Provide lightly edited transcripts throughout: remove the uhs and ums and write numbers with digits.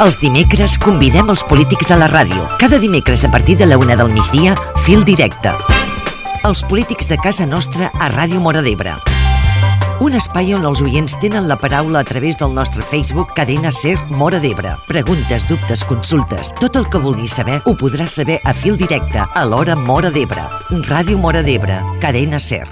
Els dimecres convidem els polítics a la ràdio. Cada dimecres a partir de la 1 del migdia, Fil Directe. Els polítics de casa nostra a Ràdio Móra d'Ebre. Un espai on els oients tenen la paraula a través del nostre Facebook Cadena Ser Móra d'Ebre. Preguntes, dubtes, consultes, tot el que vulguis saber ho podràs saber a Fil Directe a l'hora Móra d'Ebre. Ràdio Móra d'Ebre, Cadena Ser.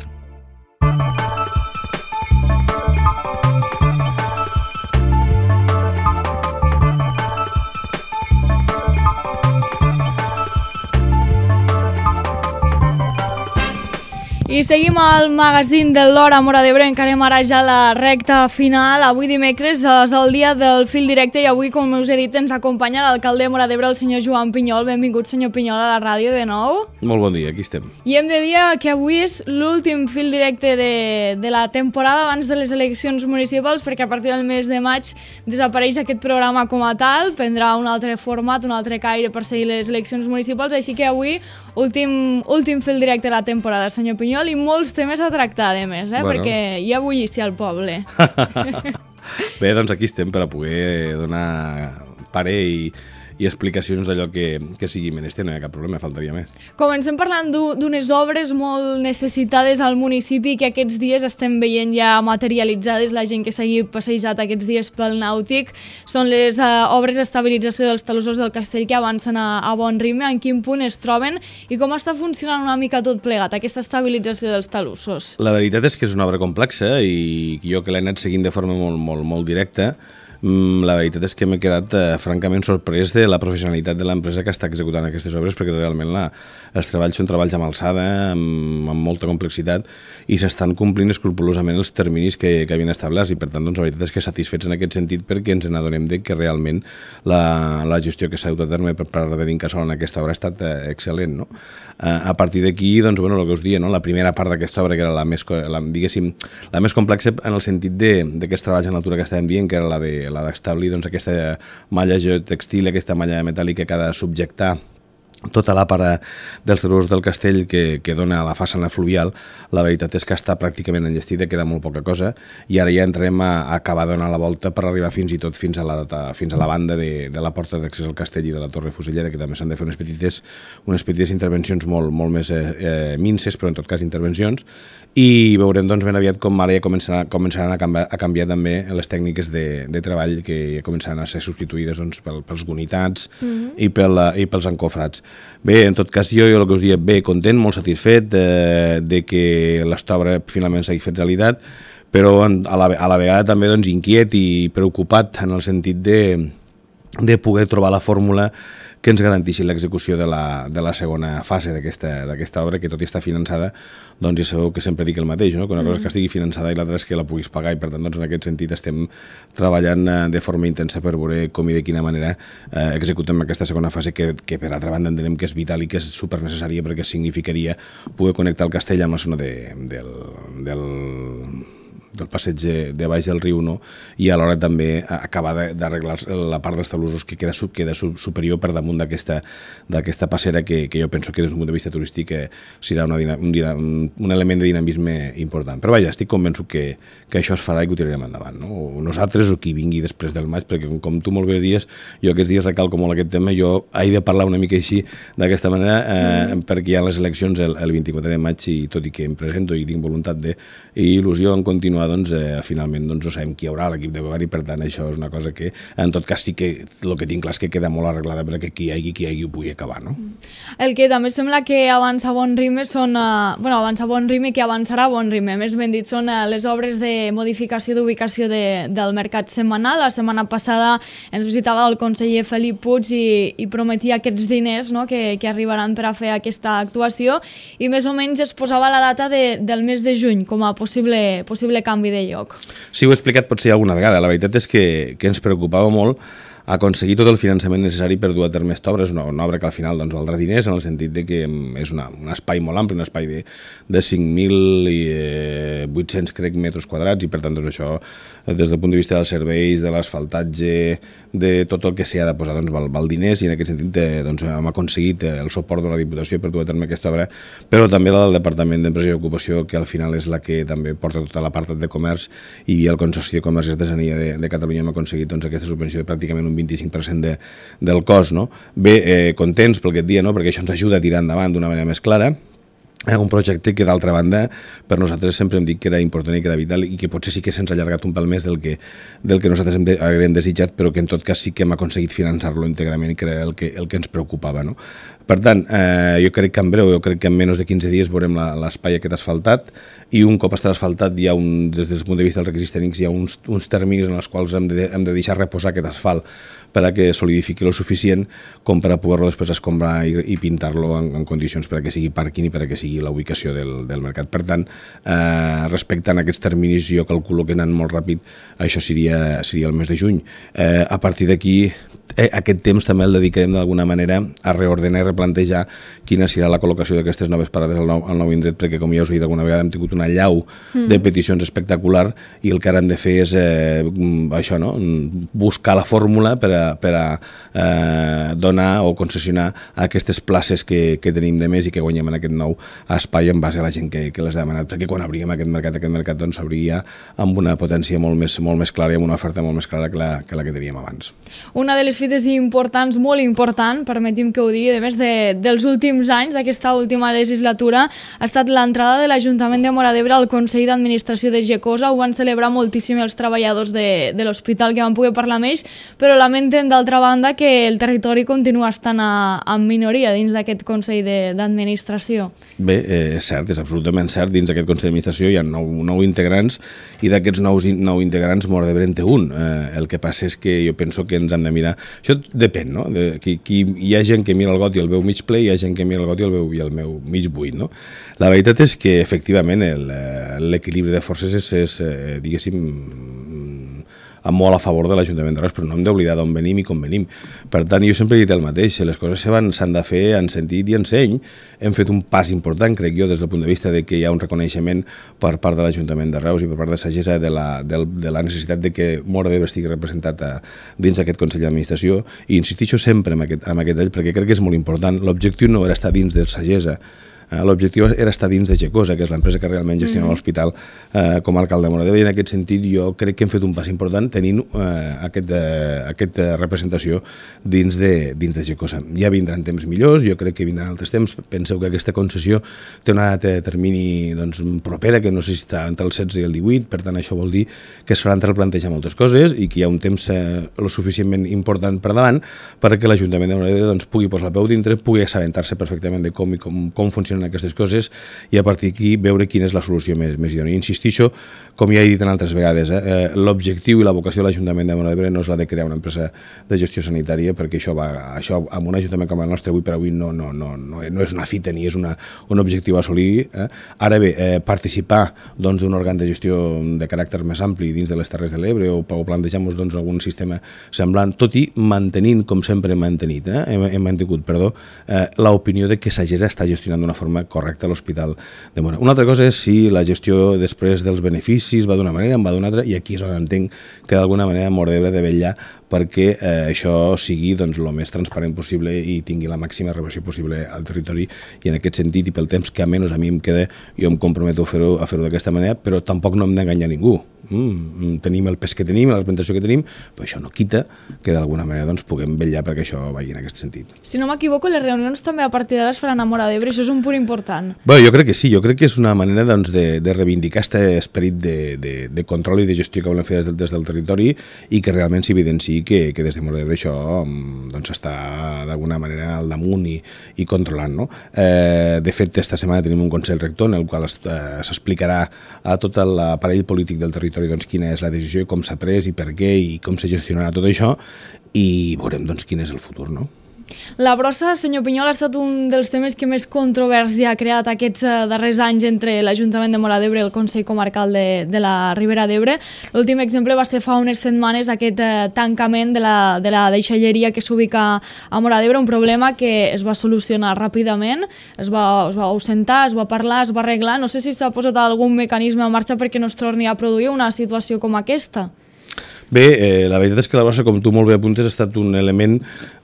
I seguim al magazín de l'Hora Móra d'Ebre, encarem ara ja la recta final. Avui dimecres és el dia del Fil Directe i avui, com us he dit, ens acompanya l'alcalde de Móra d'Ebre, el senyor Joan Pinyol. Benvingut, senyor Pinyol, a la ràdio de nou. Molt bon dia, aquí estem. I hem de dir que avui és l'últim Fil Directe de la temporada abans de les eleccions municipals, perquè a partir del mes de maig desapareix aquest programa com a tal, prendrà un altre format, un altre caire per seguir les eleccions municipals, així que avui últim Fil Directe de la temporada, senyor Pinyol, i molts temes a tractar, a més, perquè hi ha bullici al poble. Bé, doncs aquí estem per a poder donar parer i explicacions d'allò que sigui menester, no hi ha cap problema, faltaria més. Comencem parlant d'unes obres molt necessitades al municipi que aquests dies estem veient ja materialitzades, la gent que s'hagi passejat aquests dies pel Nàutic. Són les obres d'estabilització dels talussos del castell que avancen a bon ritme. En quin punt es troben i com està funcionant una mica tot plegat, aquesta estabilització dels talussos? La veritat és que és una obra complexa i jo que l'he anat seguint de forma molt directa, la veritat és que m'he quedat francament sorprès de la professionalitat de l'empresa que està executant aquestes obres, perquè realment els treballs són treballs amb alçada, amb molta complexitat, i s'estan complint escrupolosament els terminis que havien establerts, i per tant la veritat és que satisfets en aquest sentit perquè ens n'adonem que realment la gestió que s'ha dut a terme per part de l'Incasòl en aquesta obra ha estat excel·lent. No? A partir d'aquí, el que us deia, la primera part d'aquesta obra, que era la més complexa en el sentit d'aquests treballs en altura que estàvem dient, que era la d'establir aquesta malla geotextil, aquesta malla metàl·lica que ha de subjectar tota la part dels talussos del castell que dona a la façana fluvial. La veritat és que està pràcticament enllestida, queda molt poca cosa, i ara ja entrarem a acabar donant la volta per arribar fins i tot fins a la banda de la porta d'accés al castell i de la torre fusellera, que també s'han de fer unes petites intervencions molt més minces, però en tot cas intervencions, i veurem ben aviat com ara ja començaran a canviar també les tècniques de treball, que ja començaran a ser substituïdes pels gonitats i pels encofrats. Bé, en tot cas, jo el que us dic, content, molt satisfet de que l'obra finalment s'hagi fet realitat, però a la vegada també inquiet i preocupat en el sentit de poder trobar la fórmula que ens garanteixi l'execució de la segona fase d'aquesta obra, que tot i estar finançada, ja sabeu que sempre dic el mateix, no? Que una cosa és que estigui finançada i l'altra és que la puguis pagar, i per tant, en aquest sentit estem treballant de forma intensa per veure com i de quina manera executem aquesta segona fase, que per altra banda entenem que és vital i que és supernecessària, perquè significaria poder connectar el castell amb la zona del passeig de baix del riu, no? I alhora també acabar d'arreglar la part dels talussos que queda superior per damunt d'aquesta passera, que jo penso que des d'un punt de vista turístic serà un element de dinamisme important. Però vaja, estic convençut que això es farà i que ho tirarem endavant, no? O nosaltres o qui vingui després del maig, perquè com tu molt bé dies, jo aquests dies recalco molt aquest tema, jo he de parlar una mica així d'aquesta manera, perquè hi ha les eleccions el 24 de maig, i tot i que em presento i tinc voluntat i il·lusió en continuar, finalment no sabem qui hi haurà a l'equip de govern, i per tant això és una cosa que en tot cas sí que el que tinc clar és que queda molt arreglada perquè qui hi hagi ho pugui acabar, no? El que també sembla que avança a bon ritme que avançarà a bon ritme, més ben dit, són les obres de modificació d'ubicació del mercat setmanal. La setmana passada ens visitava el conseller Felip Puig i prometia aquests diners, no?, que arribaran per a fer aquesta actuació, i més o menys es posava la data del mes de juny com a possible canvi de lloc. Sí, ho he explicat potser alguna vegada. La veritat és que ens preocupava molt aconseguir tot el finançament necessari per dur a terme aquesta obra. És una obra que al final valdrà diners, en el sentit de que és un espai molt ampli, un espai de 5.800, crec, metres quadrats, i per tant això, des del punt de vista dels serveis, de l'asfaltatge, de tot el que s'hi ha de posar, val diners, i en aquest sentit hem aconseguit el suport de la Diputació per dur a terme aquesta obra, però també la del Departament d'Empresa i Ocupació, que al final és la que també porta tota l'apartat de comerç, i el Consorci de Comerç i Artesania de Catalunya hem aconseguit aquesta subvenció de pràcticament 1 un 25% del cost, no? Bé, contents per aquest dia, no? Perquè això ens ajuda a tirar endavant d'una manera més clara. Un projecte que, d'altra banda, per nosaltres sempre hem dit que era important i que era vital i que potser sí que se'ns ha allargat un pèl més del que nosaltres haguem desitjat, però que en tot cas sí que hem aconseguit finançar-lo íntegrament i que era el que ens preocupava, no? Per tant, jo crec que en breu, jo crec que en menys de 15 dies veurem l'espai aquest asfaltat i un cop estarà asfaltat hi ha des del punt de vista dels requisits tècnics hi ha uns terminis en els quals hem de deixar reposar aquest asfalt per a que solidifiqui lo suficient com per a poder-lo després escombrar i pintar-lo en condicions per a que sigui pàrquing i per a que sigui la ubicació del mercat. Per tant, respectant aquests terminis, jo calculo que anant molt ràpid, això seria el mes de juny. A partir d'aquí, aquest temps també el dedicarem d'alguna manera a reordenar i replantejar quina serà la col·locació d'aquestes noves parades al nou indret, perquè com ja us he dit alguna vegada hem tingut una llau de peticions espectacular i el que ara hem de fer és això, no? Buscar la fórmula per a donar o concessionar aquestes places que tenim de més i que guanyem en aquest nou espai en base a la gent que les ha demanat, perquè quan obríem aquest mercat doncs s'obria amb una potència molt més clara i amb una oferta molt més clara que la que teníem abans. Una de les fites importants, molt important, permeti'm que ho digui, a més dels últims anys, d'aquesta última legislatura, ha estat l'entrada de l'Ajuntament de Móra d'Ebre al Consell d'Administració de Gecosa. Ho van celebrar moltíssim els treballadors de l'hospital que van poder parlar amb ells, però lamenten d'altra banda que el territori continua estant en minoria dins d'aquest Consell d'Administració. Bé, és cert, és absolutament cert. Dins d'aquest Consell d'Administració hi ha 9 integrants i d'aquests 9 integrants Móra d'Ebre en té un. El que passa és que jo penso que ens hem de mirar... Això depèn, no? Hi ha gent que mira el got i el veu mig ple i hi ha gent que mira el got i el veu mig buit, no? La veritat és que, efectivament, l'equilibri de forces és diguéssim, molt a favor de l'Ajuntament de Reus, però no hem d'oblidar d'on venim i com venim. Per tant, jo sempre he dit el mateix, les coses s'han de fer en sentit i en seny. Hem fet un pas important, crec jo, des del punt de vista de que hi ha un reconeixement per part de l'Ajuntament de Reus i per part de Sagessa de la necessitat de que Móra d'Ebre estigui representat dins d'aquest Consell d'Administració, i insistixo sempre en aquest ell, perquè crec que és molt important. L'objectiu no era estar dins de Sagessa, l'objectiu era estar dins de Gecosa, que és l'empresa que realment gestiona l'hospital com a alcalde de Móra d'Ebre, i en aquest sentit jo crec que hem fet un pas important tenint aquesta representació dins de Gecosa. Ja vindran temps millors, jo crec que vindran altres temps. Penseu que aquesta concessió té una data de termini propera, que no sé si està entre el 16 i el 18, per tant això vol dir que s'hauran de replantejar moltes coses i que hi ha un temps lo suficientment important per davant perquè l'Ajuntament de Móra d'Ebre pugui posar el peu dintre, pugui assabentar-se perfectament de com funcionen aquestes coses i a partir d'aquí veure quina és la solució més idònia. Insistixo, com ja he dit en altres vegades, l'objectiu i la vocació de l'Ajuntament de Móra d'Ebre no és la de crear una empresa de gestió sanitària, perquè això amb un ajuntament com el nostre avui per avui no és una fita ni és un objectiu a assolir. Ara bé, participar d'un òrgan de gestió de caràcter més ampli dins de les Terres de l'Ebre o plantejar-nos algun sistema semblant, tot i mantenint, com sempre hem mantingut, l'opinió de que Sagessa està gestionant d'una forma correcta a l'Hospital de Móra. Una altra cosa és si la gestió després dels beneficis va d'una manera, en va d'una altra, i aquí és on entenc que d'alguna manera Móra d'Ebre ha de vetllar perquè això sigui el més transparent possible i tingui la màxima reversió possible al territori, i en aquest sentit i pel temps que almenys a mi em queda, jo em comprometo a fer-ho d'aquesta manera, però tampoc no hem d'enganyar ningú. Tenim el pes que tenim, la representació que tenim, però això no quita que d'alguna manera puguem vetllar perquè això vagi en aquest sentit. Si no m'equivoco, les reunions també a partir d'ara es faran a Móra d'Ebre, això és un punt important. Bé, jo crec que sí, jo crec que és una manera de reivindicar aquest esperit de control i de gestió que volem fer des del territori i que realment s'evidenciï que des de Móra d'Ebre això està d'alguna manera al damunt i controlant, no? De fet, esta setmana tenim un Consell Rector en el qual s'explicarà a tot l'aparell polític del territori quina és la decisió, com s'ha pres i per què i com se gestionarà tot això, i veurem quin és el futur, no? La brossa, senyor Pinyol, ha estat un dels temes que més controvèrsia ha creat aquests darrers anys entre l'Ajuntament de Móra d'Ebre i el Consell Comarcal de la Ribera d'Ebre. L'últim exemple va ser fa unes setmanes aquest tancament de la deixalleria que s'ubica a Móra d'Ebre, un problema que es va solucionar ràpidament, es va ausentar, es va parlar, es va arreglar. No sé si s'ha posat algun mecanisme en marxa perquè no es torni a produir una situació com aquesta. Bé, la veritat és que la brossa, com tu molt bé apuntes, ha estat un element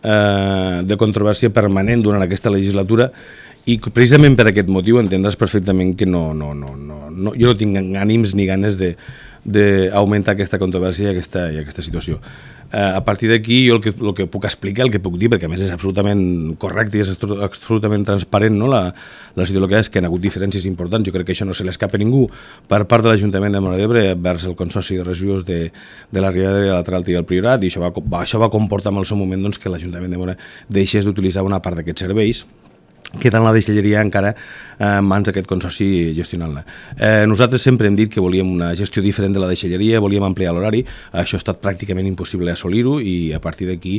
de controvèrsia permanent durant aquesta legislatura i precisament per aquest motiu entendràs perfectament que jo no tinc ànims ni ganes d'augmentar aquesta controvèrsia i aquesta situació. A partir d'aquí, jo el que puc explicar, el que puc dir, perquè a més és absolutament correcte i és absolutament transparent, no? La situació que és que hi ha hagut diferències importants, jo crec que això no se l'escapa a ningú, per part de l'Ajuntament de Móra d'Ebre vers el Consorci de Residus de la Riera de la Tralta i el Priorat, i això va comportar en el seu moment doncs, que l'Ajuntament de Móra deixés d'utilitzar una part d'aquests serveis, quedant la deixalleria encara en mans d'aquest consorci gestionant-la. Nosaltres sempre hem dit que volíem una gestió diferent de la deixalleria, volíem ampliar l'horari, això ha estat pràcticament impossible assolir-ho i a partir d'aquí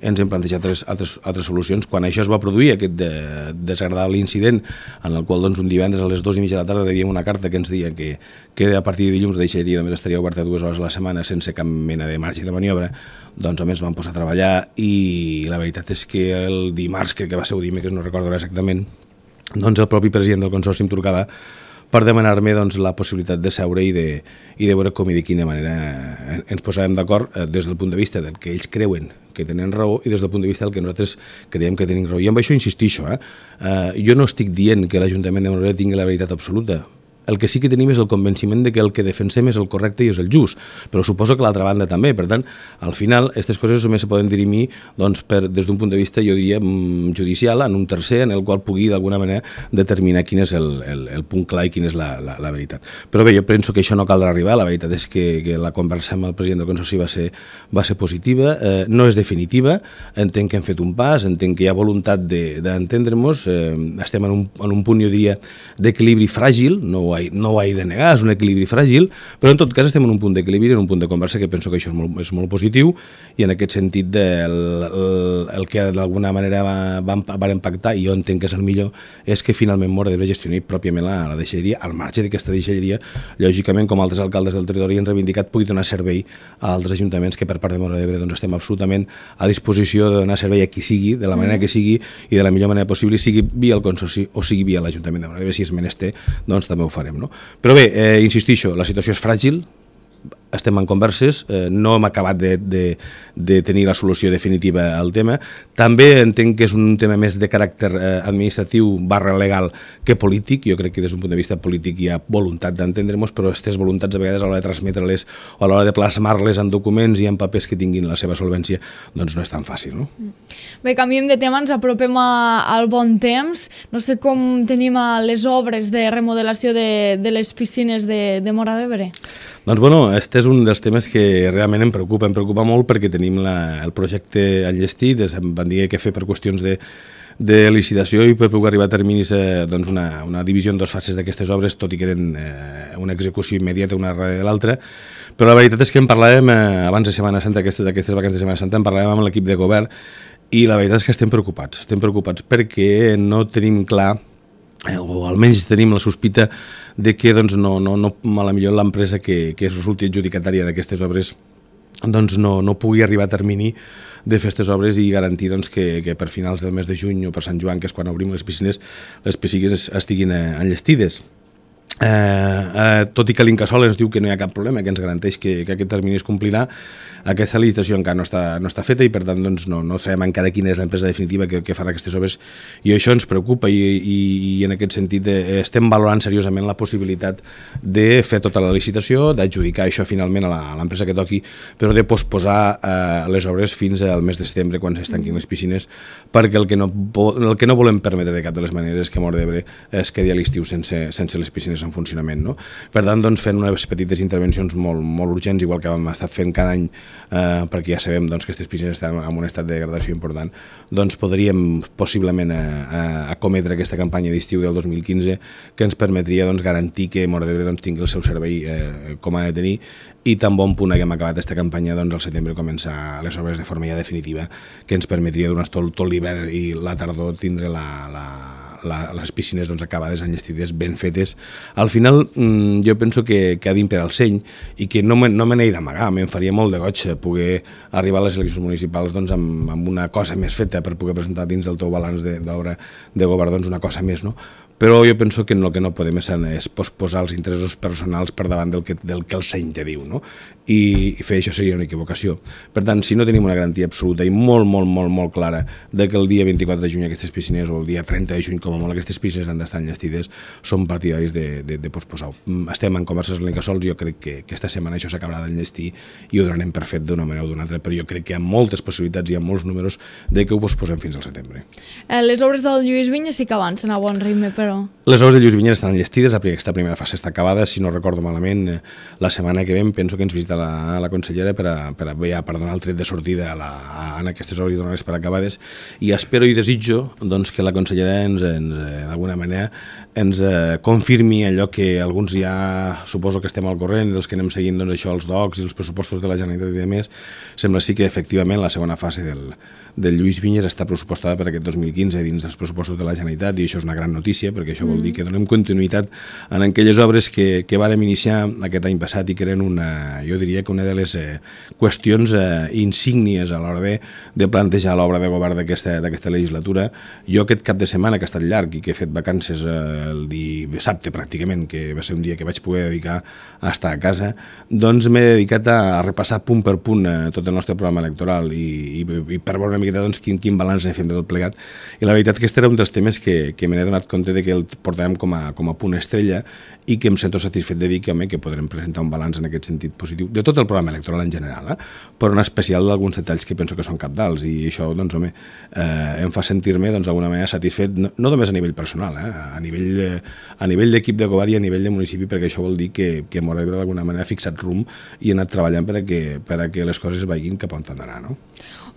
ens hem plantejat altres solucions. Quan això es va produir, aquest desagradable incident en el qual doncs, un divendres a les 2:30 de la tarda rebíem una carta que ens deia que a partir de dilluns la deixalleria només estaria oberta 2 hores a la setmana sense cap mena de marge de maniobra, doncs home, ens vam posar a treballar i la veritat és que el dimarts, crec que va ser o dimecres, no recordo exactament, doncs el propi president del Consorci em trucava per demanar-me doncs, la possibilitat de seure i de veure com i de quina manera ens posàvem d'acord des del punt de vista del que ells creuen que tenen raó i des del punt de vista del que nosaltres creiem que tenim raó. I amb això insistixo, jo no estic dient que l'Ajuntament de Móra d'Ebre tingui la veritat absoluta. El que sí que tenim és el convenciment de que el que defensem és el correcte i és el just, però suposo que l'altra banda també. Per tant, al final, aquestes coses només se poden dirimir doncs, des d'un punt de vista, jo diria, judicial, en un tercer, en el qual pugui d'alguna manera determinar quin és el punt clar i quina és la veritat. Però bé, jo penso que això no caldrà arribar. La veritat és que la conversa amb el president del Consorci va ser positiva, no és definitiva, entenc que hem fet un pas, entenc que hi ha voluntat d'entendre-nos, estem en un punt, jo diria, d'equilibri fràgil, no ho he de negar, és un equilibri fràgil, però en tot cas estem en un punt d'equilibri, en un punt de conversa que penso que això és molt positiu i en aquest sentit el que d'alguna manera van pactar, i jo entenc que és el millor, és que finalment Móra d'Ebre gestioni pròpiament la deixalleria, al marge d'aquesta deixalleria, lògicament, com altres alcaldes del territori han reivindicat, pugui donar servei a altres ajuntaments que per part de Móra d'Ebre doncs, estem absolutament a disposició de donar servei a qui sigui, de la manera que sigui i de la millor manera possible, sigui via el Consorci o sigui via l'Ajuntament de Móra d'Ebre, si és menester, doncs també ho farem. No? Però bé, insistixo, la situació és fràgil, estem en converses, no hem acabat de tenir la solució definitiva al tema. També entenc que és un tema més de caràcter administratiu / legal que polític. Jo crec que des d'un punt de vista polític hi ha voluntat d'entendre-nos, però aquestes voluntats a vegades a l'hora de transmetre-les o a l'hora de plasmar-les en documents i en papers que tinguin la seva solvència, doncs no és tan fàcil. No? Bé, canviem de tema, ens apropem al bon temps. No sé com tenim les obres de remodelació de les piscines de Móra d'Ebre. Doncs bueno, aquest és un dels temes que realment em preocupa molt perquè tenim el projecte enllestit, van dir que fer per qüestions de licitació i per poder arribar a terminis doncs una divisió en 2 fases d'aquestes obres, tot i que eren una execució immediata una darrere de l'altra, però la veritat és que en parlàvem abans de Setmana Santa, d'aquestes vacances de Setmana Santa, en parlàvem amb l'equip de govern i la veritat és que estem preocupats perquè no tenim clar, o almenys tenim la sospita de que doncs, no, a la millor l'empresa que resulti adjudicatària d'aquestes obres doncs, no pugui arribar a termini de fer aquestes obres i garantir doncs, que per finals del mes de juny o per Sant Joan, que és quan obrim les piscines estiguin enllestides. Tot i que l'Incasòl ens diu que no hi ha cap problema, que ens garanteix que aquest termini es complirà, aquesta licitació encara no està feta i per tant doncs, no sabem encara quina és l'empresa definitiva que farà aquestes obres i això ens preocupa i en aquest sentit estem valorant seriosament la possibilitat de fer tota la licitació, d'adjudicar això finalment a l'empresa que toqui, però de posposar les obres fins al mes de setembre quan es tanquin les piscines, perquè el que no volem permetre de cap de les maneres és que Móra d'Ebre es quedi a l'estiu sense les piscines en funcionament. No? Per tant, doncs, fent unes petites intervencions molt urgents, igual que hem estat fent cada any, perquè ja sabem doncs, que aquestes piscines estan en un estat de degradació important, doncs podríem possiblement acometre aquesta campanya d'estiu del 2015 que ens permetria doncs, garantir que Móra d'Ebre doncs, tingui el seu servei com ha de tenir i tan bon punt haguem acabat aquesta campanya doncs, al setembre començar les obres de forma ja definitiva que ens permetria durant tot l'hivern i la tardor tindre les piscines doncs, acabades, enllestides, ben fetes. Al final jo penso que ha d'imperar el seny i que no me n'he d'amagar, em faria molt de goig poder arribar a les eleccions municipals doncs, amb una cosa més feta per poder presentar dins del teu balanç d'obra de govern doncs, una cosa més, no? Però jo penso que el que no podem és posposar els interessos personals per davant del que el seny te diu, no? I fer això seria una equivocació. Per tant, si no tenim una garantia absoluta i molt clara de que el dia 24 de juny aquestes piscines o el dia 30 de juny que com a molt aquestes pistes han d'estar enllestides, som partidaris de posposar-ho. Estem en converses amb l'Incasòl, jo crec que aquesta setmana això s'acabarà d'enllestir i ho donarem per fet d'una manera o d'una altra, però jo crec que hi ha moltes possibilitats i hi ha molts números de que ho posposem fins al setembre. Les obres del Lluís Vinyes sí que avancen a bon ritme, però... Les obres de Lluís Vinyes estan enllestides, aquesta primera fase està acabada, si no recordo malament, la setmana que ve penso que ens visita la consellera per donar el tret de sortida en aquestes obres i donar-les per acabades, i espero i desitjo doncs, que la consellera d'alguna manera ens confirmi allò que alguns ja suposo que estem al corrent, dels que anem seguint doncs, això, els DOCs i els pressupostos de la Generalitat i demés. Sembla sí que efectivament la segona fase del Lluís Vinyes està pressupostada per aquest 2015 dins dels pressupostos de la Generalitat, i això és una gran notícia perquè això vol dir que donem continuïtat en aquelles obres que vàrem iniciar aquest any passat i que eren jo diria que una de les qüestions insígnies a l'hora de plantejar l'obra de govern d'aquesta legislatura. Jo aquest cap de setmana, que ha estat llarg i que he fet vacances el dissabte pràcticament, que va ser un dia que vaig poder dedicar a estar a casa, doncs m'he dedicat a repassar punt per punt tot el nostre programa electoral i per veure una miqueta doncs, quin balanç ne fem de tot plegat. I la veritat que aquest era un dels temes que me n'he donat compte de que el portàvem com a punt estrella i que em sento satisfet de dir que podrem presentar un balanç en aquest sentit positiu de tot el programa electoral en general, però en especial d'alguns detalls que penso que són cabdals, i això doncs, em fa sentir-me d'alguna manera satisfet, no només a nivell personal, a nivell d'equip de govern i a nivell de municipi, perquè això vol dir que Móra d'Ebre d'alguna manera ha fixat rumb i ha anat treballant per a que les coses vagin cap on han d'anar, no?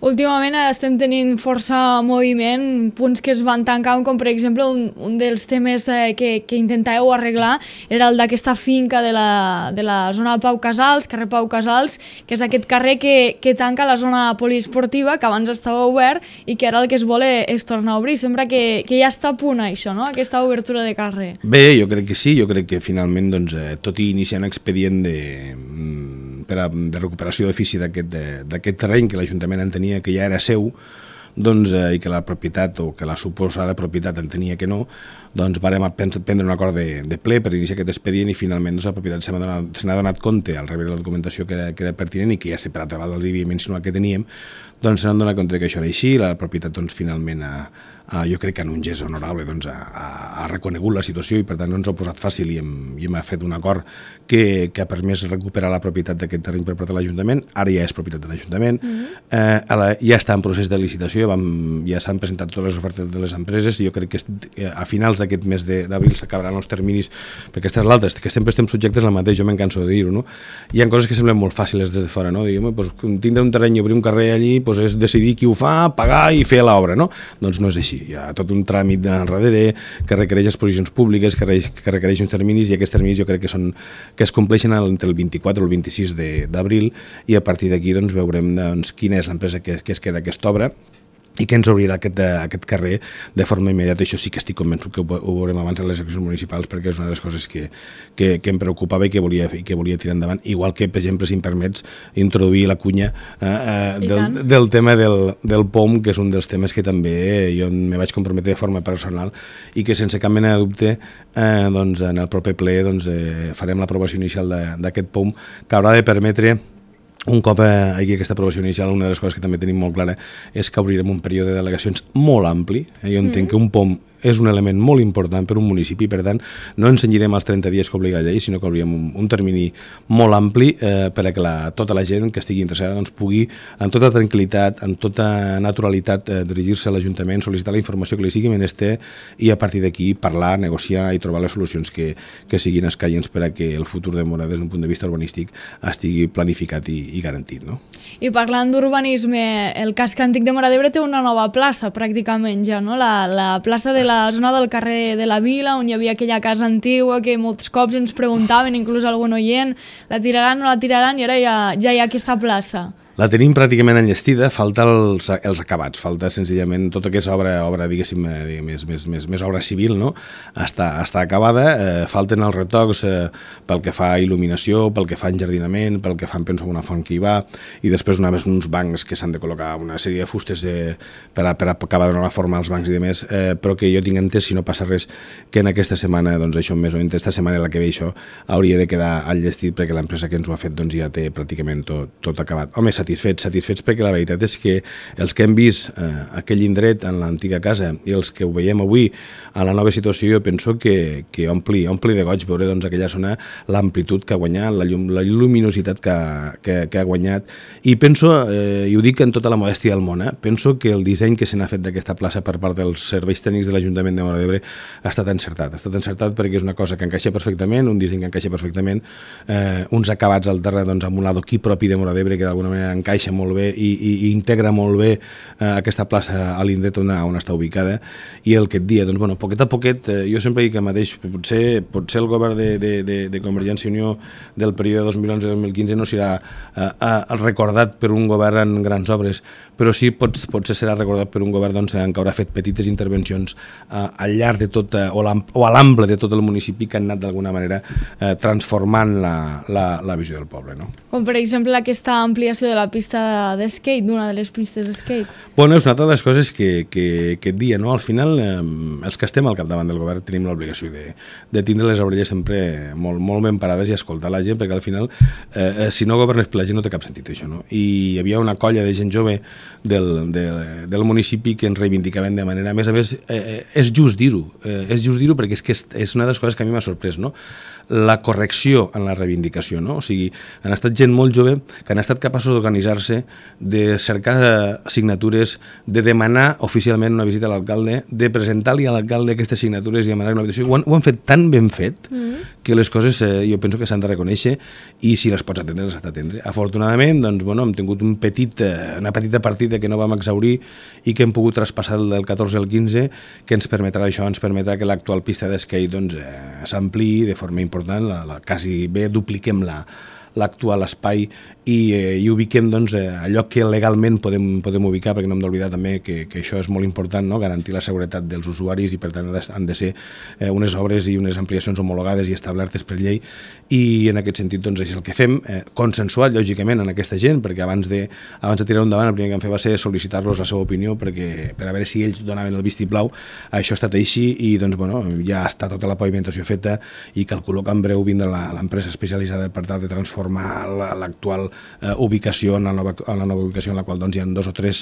Últimament estem tenint força moviment, punts que es van tancar, com per exemple un dels temes que intentàveu arreglar era el d'aquesta finca de la zona Pau Casals, carrer Pau Casals, que és aquest carrer que tanca la zona poliesportiva, que abans estava obert i que ara el que es vol és tornar a obrir. Sembla que ja està a punt això, no? Aquesta obertura de carrer. Bé, jo crec que sí, jo crec que finalment, doncs, tot i iniciar un expedient de recuperació d'ofici d'aquest terreny que l'Ajuntament entenia que ja era seu, doncs, i que la propietat o que la suposada propietat entenia que no, doncs vàrem prendre un acord de ple per iniciar aquest expedient, i finalment doncs, la propietat se n'ha donat compte al rebre la documentació que era pertinent i que ja per altra banda els havia mencionat que teníem, doncs se n'han donat compte que això era així. La propietat doncs, finalment jo crec que en un gest honorable doncs, ha reconegut la situació i per tant no ens ho ha posat fàcil i hem fet un acord que ha permès recuperar la propietat d'aquest terreny per part de l'Ajuntament. Ara ja és propietat de l'Ajuntament, ja està en procés de licitació, ja s'han presentat totes les ofertes de les empreses i jo crec que a finals d'aquest mes d'abril s'acabaran els terminis, perquè aquesta és l'altra, que sempre estem subjectes al mateix, jo m'encanso de dir-ho, no? Hi ha coses que semblen molt fàcils des de fora, no? Dir, doncs, tindre un terreny i obrir un carrer allí doncs és decidir qui ho fa, pagar i fer l'obra, no? Doncs no és així, hi ha tot un tràmit darrere que requereix exposicions públiques, que requereix uns terminis, i aquests terminis jo crec que es compleixen entre el 24 o el 26 d'abril, i a partir d'aquí doncs, veurem quina és l'empresa que es queda aquesta obra i que ens obrirà aquest carrer de forma immediata. Això sí que estic convençut que ho veurem abans de les eleccions municipals, perquè és una de les coses que em preocupava i que volia tirar endavant, igual que, per exemple, si em permets introduir la cunya del tema del POM, que és un dels temes que també jo me vaig comprometre de forma personal i que sense cap mena de dubte doncs, en el proper ple doncs, farem l'aprovació inicial d'aquest POM, que haurà de permetre. Un cop aquí aquesta aprovació inicial, una de les coses que també tenim molt clara és que obrirem un període de delegacions molt ampli. Jo entenc que un POM és un element molt important per un municipi, per tant, no ens cenyirem als 30 dies que obliga la llei, sinó que obrirem un termini molt ampli perquè tota la gent que estigui interessada doncs, pugui, amb tota tranquil·litat, amb tota naturalitat, dirigir-se a l'Ajuntament, sol·licitar la informació que li sigui menester i a partir d'aquí parlar, negociar i trobar les solucions que siguin escaients per a que el futur de Móra des d'un punt de vista urbanístic estigui planificat i garantit, no? I parlant d'urbanisme, el casc antic de Móra d'Ebre té una nova plaça, pràcticament ja, no? La plaça de la zona del carrer de la Vila, on hi havia aquella casa antigua que molts cops ens preguntaven, inclús algun oient, la tiraran o no la tiraran, i ara ja hi ha aquesta plaça. La tenim pràcticament enllestida, falta els acabats, falta senzillament tot el que és obra diguéssim, més obra civil, no? Està acabada, falten els retocs pel que fa a il·luminació, pel que fa a enjardinament, pel que fa, penso, una font que hi va, i després uns bancs que s'han de col·locar una sèrie de fustes per acabar de donar la forma als bancs i demés, però que jo tinc entès, si no passa res, que en aquesta setmana, doncs això més o menys, aquesta setmana la que ve això, hauria de quedar enllestit perquè l'empresa que ens ho ha fet doncs ja té pràcticament tot acabat. Home, satisfets perquè la veritat és que els que hem vist aquell indret en l'antiga casa i els que ho veiem avui a la nova situació, jo penso que ompli de goig veure doncs, aquella zona, l'amplitud que ha guanyat, la lluminositat que ha guanyat, i penso, i ho dic en tota la modèstia del món, penso que el disseny que se n'ha fet d'aquesta plaça per part dels serveis tècnics de l'Ajuntament de Móra d'Ebre ha estat encertat perquè és una cosa que encaixa perfectament, un disseny que encaixa perfectament, uns acabats al terra doncs, amb un adoquí propi de Móra d'Ebre que d'alguna manera encaixa molt bé i integra molt bé aquesta plaça a l'indret on està ubicada, i el que et dia, doncs, bueno, poquet a poquet, jo sempre dic que mateix, potser el govern de Convergència i Unió del període 2011-2015 no serà recordat per un govern en grans obres, però sí potser serà recordat per un govern doncs, que haurà fet petites intervencions al llarg de tot, o a l'ample de tot el municipi, que han anat d'alguna manera transformant la visió del poble, no? Com per exemple aquesta ampliació de la pista d'skate, d'una de les pistes d'skate. Bueno, és una altra de les coses que et dia, no? Al final, els que estem al capdavant del govern tenim l'obligació de tindre les orelles sempre molt ben parades i escoltar la gent, perquè al final, si no governes per la gent no té cap sentit això, no? I hi havia una colla de gent jove del municipi que ens reivindicaven de manera... A més, és just dir-ho, perquè és que és una de les coses que a mi m'ha sorprès, no? La correcció en la reivindicació, no? O sigui, han estat gent molt jove que han estat capaços d'organitzar-se, de cercar signatures, de demanar oficialment una visita a l'alcalde, de presentar-li a l'alcalde aquestes signatures i demanar una habitació. Ho han fet tan ben fet que les coses jo penso que s'han de reconèixer, i si les pots atendre, les has d'atendre. Afortunadament, doncs, bueno, hem tingut una petita partida que no vam exhaurir i que hem pogut traspassar del 14 al 15, que ens permetrà que l'actual pista d'esquí doncs, s'ampliï de forma important, quasi bé dupliquem l'actual espai i ubiquem doncs, allò que legalment podem ubicar, perquè no hem d'oblidar també que això és molt important, no? Garantir la seguretat dels usuaris, i per tant han de ser unes obres i unes ampliacions homologades i establertes per llei, i en aquest sentit doncs, és el que fem, consensuat lògicament en aquesta gent, perquè abans de tirar endavant el primer que vam fer va ser sol·licitar-los la seva opinió per a veure si ells donaven el vistiplau. Això ha estat així i doncs, bueno, ja està tota la pavimentació feta, i calculo que en breu vindrà l'empresa especialitzada per tal de transformar l'actual ubicació en la nova ubicació, en la qual doncs, hi ha 2 o 3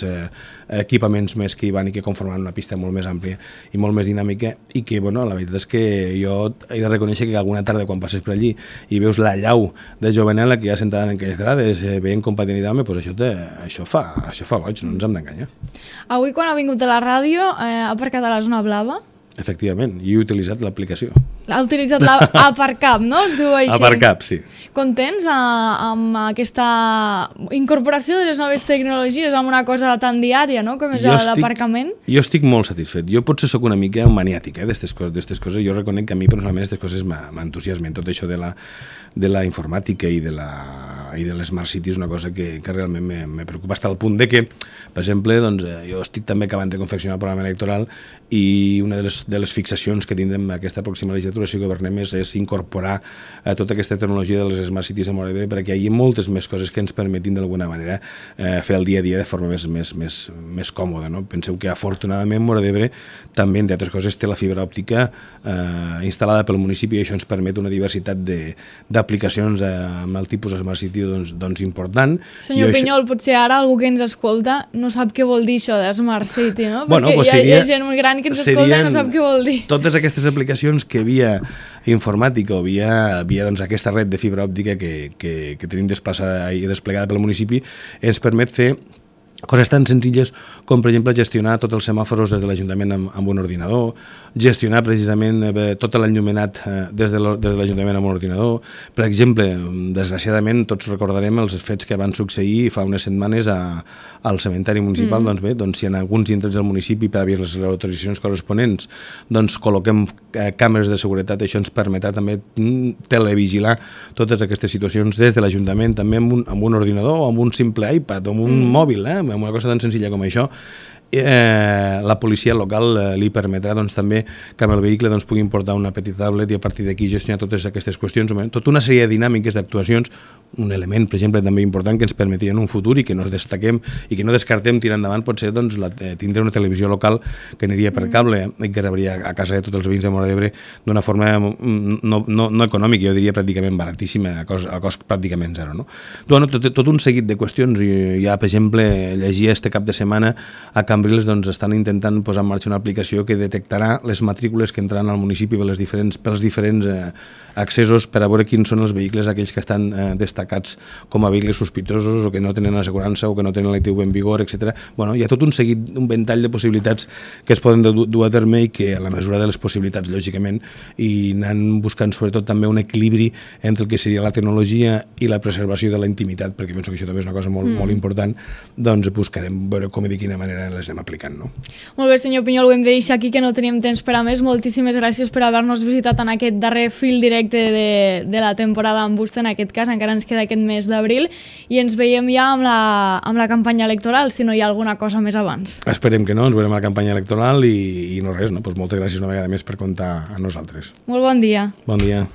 equipaments més que hi van i que conformen una pista molt més àmplia i molt més dinàmica, i que, bueno, la veritat és que jo he de reconèixer que alguna tarda quan passes per allí i veus la llau de jovenela que hi ha sentada en aquelles grades veient com patin i dame, doncs això fa goig, no ens hem d'enganyar. Avui, quan ha vingut a la ràdio, ha aparcat a la zona blava? Efectivament, i he utilitzat l'aplicació. Ha utilitzat l'Aparcap, no? Es diu així. Aparcap, sí. Contents amb aquesta incorporació de les noves tecnologies amb una cosa tan diària, no?, com és l'aparcament? Jo estic molt satisfet. Jo potser sóc una mica maniàtic d'estes coses. Jo reconec que a mi personalment aquestes coses m'entusiasmen. Tot això de la informàtica i de les Smart Cities és una cosa que realment me preocupa, fins al punt de que, per exemple, doncs, jo estic també acabant de confeccionar el programa electoral, i una de les fixacions que tindrem aquesta pròxima legislatura, si governem, és incorporar tota aquesta tecnologia de les Smart Cities a Móra d'Ebre, perquè hi ha moltes més coses que ens permetin d'alguna manera fer el dia a dia de forma més còmoda, no? Penseu que afortunadament Móra d'Ebre també, entre altres coses, té la fibra òptica instal·lada pel municipi, i això ens permet una diversitat d'aplicacions amb el tipus Smart City doncs important. Senyor Pinyol, potser ara algú que ens escolta no sap què vol dir això de Smart City, no? Bueno, perquè hi ha gent molt gran que ens escolta i no sap què vol dir. Totes aquestes aplicacions que via informàtica o via doncs, aquesta red de fibra òptica que tenim desplaçada i desplegada pel municipi ens permet fer coses tan senzilles com, per exemple, gestionar tots els semàfors des de l'Ajuntament amb un ordinador, gestionar precisament tot l'enllumenat des de l'Ajuntament amb un ordinador. Per exemple, desgraciadament, tots recordarem els fets que van succeir fa unes setmanes al cementeri municipal. Doncs bé, si en alguns indrets del municipi, per haver les autoritzacions corresponents, doncs col·loquem càmeres de seguretat, això ens permetrà també televigilar totes aquestes situacions des de l'Ajuntament, també amb un ordinador o amb un simple iPad o amb un mòbil, amb una cosa tan senzilla com això, la policia local li permetrà doncs, també que amb el vehicle doncs, puguin portar una petita tablet i a partir d'aquí gestionar totes aquestes qüestions, tota una sèrie de dinàmiques, d'actuacions, un element, per exemple, també important que ens permetria en un futur i que no destaquem i que no descartem tirar endavant pot ser doncs, tindre una televisió local que aniria per cable i que rebria a casa de tots els veïns de Móra d'Ebre d'una forma no econòmica, jo diria pràcticament baratíssima, a cost pràcticament zero. No? Bueno, tot un seguit de qüestions. Ja, per exemple, llegia este cap de setmana a Cambrils doncs, estan intentant posar en marxa una aplicació que detectarà les matrícules que entraran al municipi pels diferents accessos per a veure quins són els vehicles aquells que estan destacats com a vehicles sospitosos o que no tenen assegurança o que no tenen l'ITV en vigor, etc. Bueno, hi ha tot un seguit, un ventall de possibilitats que es poden dur a terme i que a la mesura de les possibilitats, lògicament, i anant buscant sobretot també un equilibri entre el que seria la tecnologia i la preservació de la intimitat, perquè penso que això també és una cosa molt important, doncs buscarem veure com i de quina manera les anem aplicant. No? Molt bé, senyor Pinyol, ho hem de deixar aquí que no tenim temps per a més. Moltíssimes gràcies per haver-nos visitat en aquest darrer fil directe de la temporada amb vostè, en aquest cas, encara ens queda aquest mes d'abril, i ens veiem ja amb la campanya electoral, si no hi ha alguna cosa més abans. Esperem que no, ens veurem a la campanya electoral i no res, no? Pues moltes gràcies una vegada més per comptar amb nosaltres. Molt bon dia. Bon dia.